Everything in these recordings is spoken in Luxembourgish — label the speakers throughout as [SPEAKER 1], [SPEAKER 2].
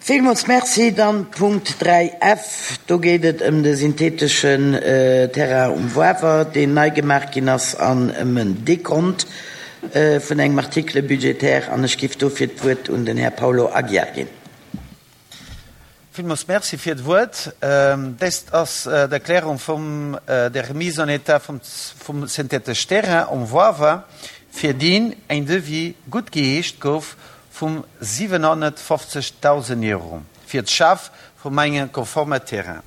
[SPEAKER 1] Villmools Merci. Dann Punkt 3 F, do geet et ëm de syntheteschen Terrain um Wawer, deen nei gemaach ginn ass, an ëm en Dekont vun engem Article budgétaire. An ech géif dofir d'Wuert un den Här Paulo Aguiar ginn.
[SPEAKER 2] Villmools Merci fir d'Wuert. Dést ass d'Erklärung vum der Remise en état vum synthetesch Terrain um Wawer, fir deen en Devis guttgeheescht gouf vum 750.000 Euro fir d'Schaf vum engem konforme Terrain.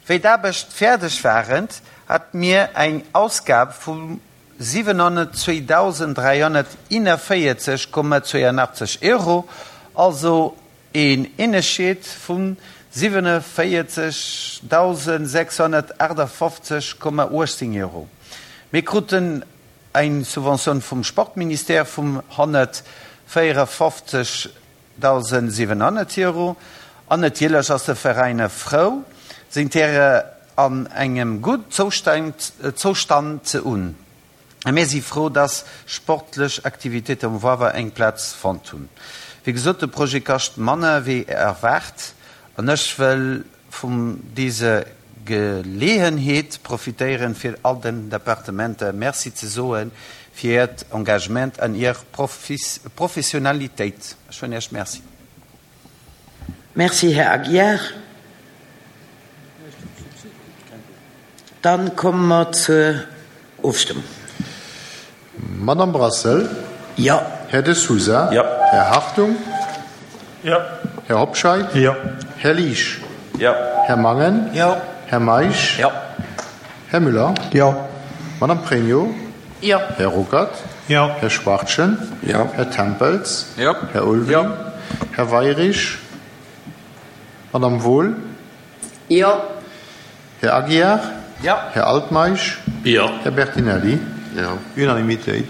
[SPEAKER 2] Wéi d'Aarbecht fäerdeg waren, hat mir eng Ausgab vu 702.341,82 Euro, also een Ënnerscheed vu 47.658,18 Euro. Mir kruten Eng Subventioun vum Sportministère vum 154.700 Euro. An natierlech ass de Veräin frou, seng Terrainen an engem gudd Zoustand ze hunn. A mir si frou, dass sportlech Aktivitéiten um Wawer eng Plaz fonnt hunn. Wéi gesot, de Projet kascht manner wéi erwaart an ech wëll vum dise Geleeënheet profitéieren fir all den Departementer Merci ze soen fir hiert Engagement an hir Professionalitéit. Ech soen Iech Merci.
[SPEAKER 1] Merci, Här Aguiar. Dann komme mer zur Ofstëmmung.
[SPEAKER 3] Madame Brassel?
[SPEAKER 1] Jo.
[SPEAKER 3] Här De Sousa?
[SPEAKER 4] Jo.
[SPEAKER 3] Här Hartung?
[SPEAKER 4] Jo.
[SPEAKER 3] Här Hobscheit?
[SPEAKER 4] Jo.
[SPEAKER 3] Här Liesch?
[SPEAKER 4] Jo.
[SPEAKER 3] Här Mangen?
[SPEAKER 2] Jo.
[SPEAKER 3] Här Meisch?
[SPEAKER 2] Jo.
[SPEAKER 3] Här Müller?
[SPEAKER 4] Jo.
[SPEAKER 3] Madame Pregno?
[SPEAKER 5] Jo.
[SPEAKER 3] Här Ruckert?
[SPEAKER 4] Jo.
[SPEAKER 3] Här Schwachtgen?
[SPEAKER 4] Jo.
[SPEAKER 3] Här Tempels?
[SPEAKER 4] Jo.
[SPEAKER 3] Här Ulveling?
[SPEAKER 4] Jo.
[SPEAKER 3] Här Weirich? Madame Wohl?
[SPEAKER 5] Jo.
[SPEAKER 3] Här Aguiar?
[SPEAKER 2] Jo.
[SPEAKER 3] Här Altmeisch?
[SPEAKER 4] Jo.
[SPEAKER 3] Här Bertinelli?
[SPEAKER 4] Jo.
[SPEAKER 3] Unanimitéit.